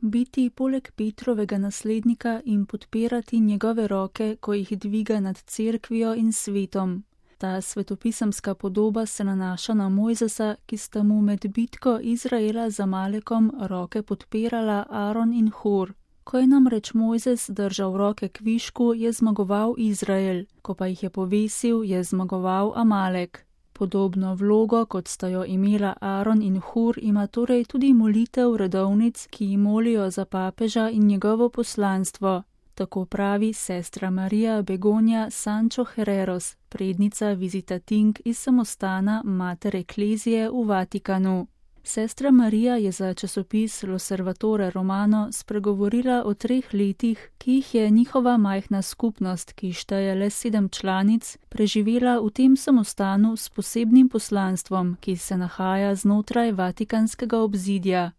biti poleg Petrovega naslednika in podpirati njegove roke, ko jih dviga nad cerkvijo in svetom. Ta svetopisemska podoba se nanaša na Mojzesa, ki sta mu med bitko Izraela z Amalekom roke podpirala Aron in Hur. Ko je namreč Mojzes držal roke kvišku, je zmagoval Izrael, ko pa jih je povesil, je zmagoval Amalek. Podobno vlogo, kot sta jo imela Aron in Hur, ima torej tudi molitev redovnic, ki ji molijo za papeža in njegovo poslanstvo. Tako pravi sestra Marija Begonja Sancho Herreros, prednica Visitating iz samostana Mater Ecclesiae v Vatikanu. Sestra Marija je za časopis L'Osservatore Romano spregovorila o 3 letih, ki jih je njihova majhna skupnost, ki šteje le 7 članic, preživela v tem samostanu s posebnim poslanstvom, ki se nahaja znotraj vatikanskega obzidja.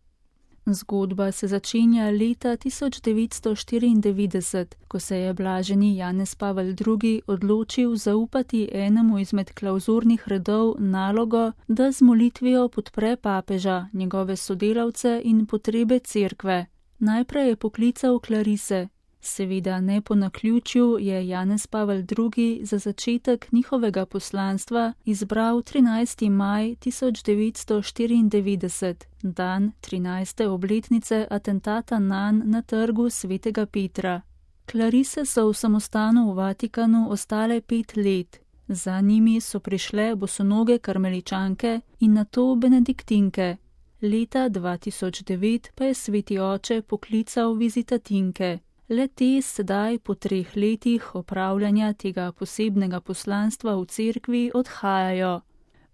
Zgodba se začenja leta 1994, ko se je blaženi Janez Pavel II. Odločil zaupati enemu izmed klavzurnih redov nalogo, da z molitvijo podpre papeža, njegove sodelavce in potrebe cerkve. Najprej je poklical klarise. Seveda ne po naključju je Janez Pavel II. Za začetek njihovega poslanstva izbral 13. maj 1994, dan 13. obletnice atentata nanj na trgu Svetega Petra. Klarise so v samostanu v Vatikanu ostale 5 let. Za njimi so prišle bosonoge karmeličanke in nato benediktinke. Leta 2009 pa je sveti oče poklical vizitatinke. Le te sedaj po 3 letih opravljanja tega posebnega poslanstva v cerkvi odhajajo.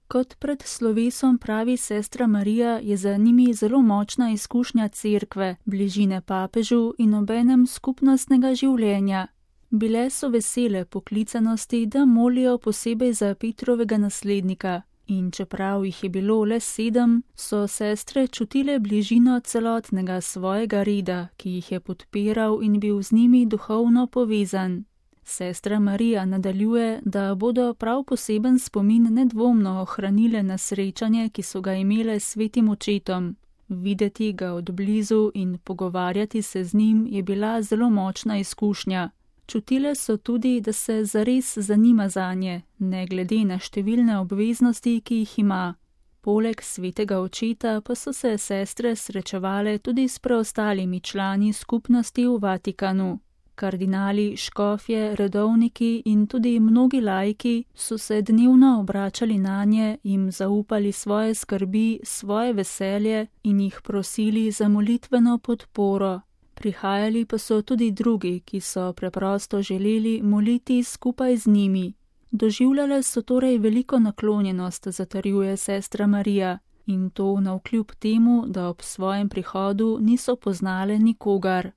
Kot pred slovesom pravi sestra Marija, je za njimi zelo močna izkušnja cerkve, bližine papežu in obenem skupnostnega življenja. Bile so vesele poklicanosti, da molijo posebej za Petrovega naslednika. In čeprav jih je bilo le 7, so sestre čutile bližino celotnega svojega reda, ki jih je podpiral in bil z njimi duhovno povezan. Sestra Marija nadaljuje, da bodo prav poseben spomin nedvomno ohranile na srečanje, ki so ga imele s svetim očetom. Videti ga od blizu in pogovarjati se z njim je bila zelo močna izkušnja. Čutile so tudi, da se zares zanima zanje, ne glede na številne obveznosti, ki jih ima. Poleg svetega očeta pa so se sestre srečevale tudi s preostalimi člani skupnosti v Vatikanu. Kardinali, škofje, redovniki in tudi mnogi laiki so se dnevno obračali nanje, jim zaupali svoje skrbi, svoje veselje in jih prosili za molitveno podporo. Prihajali pa so tudi drugi, ki so preprosto želeli moliti skupaj z njimi. Doživljale so torej veliko naklonjenost, zatrjuje sestra Marija, in to navkljub temu, da ob svojem prihodu niso poznale nikogar.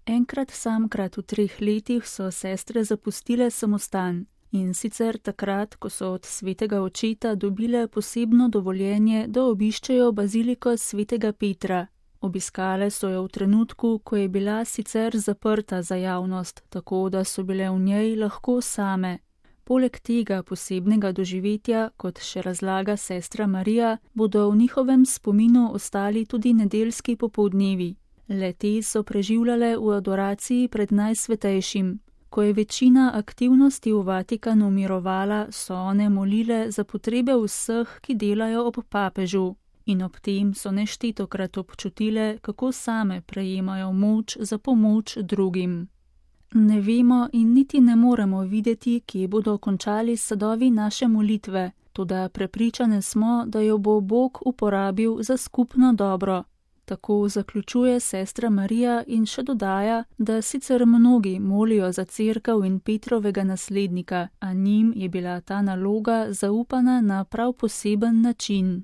Enkrat samkrat v 3 letih so sestre zapustile samostan, in sicer takrat, ko so od svetega očeta dobile posebno dovoljenje, da obiščejo baziliko Svetega Petra. Obiskale so jo v trenutku, ko je bila sicer zaprta za javnost, tako da so bile v njej lahko same. Poleg tega posebnega doživetja, kot še razlaga sestra Marija, bodo v njihovem spominu ostali tudi nedeljski popoldnevi. Le-te so preživljale v adoraciji pred Najsvetejšim. Ko je večina aktivnosti v Vatikanu mirovala, so one molile za potrebe vseh, ki delajo ob papežu. In ob tem so neštetokrat občutile, kako same prejemajo moč za pomoč drugim. Ne vemo in niti ne moremo videti, kje bodo končali sadovi naše molitve, toda prepričane smo, da jo bo Bog uporabil za skupno dobro. Tako zaključuje sestra Marija in še dodaja, da sicer mnogi molijo za cerkev in Petrovega naslednika, a njim je bila ta naloga zaupana na prav poseben način.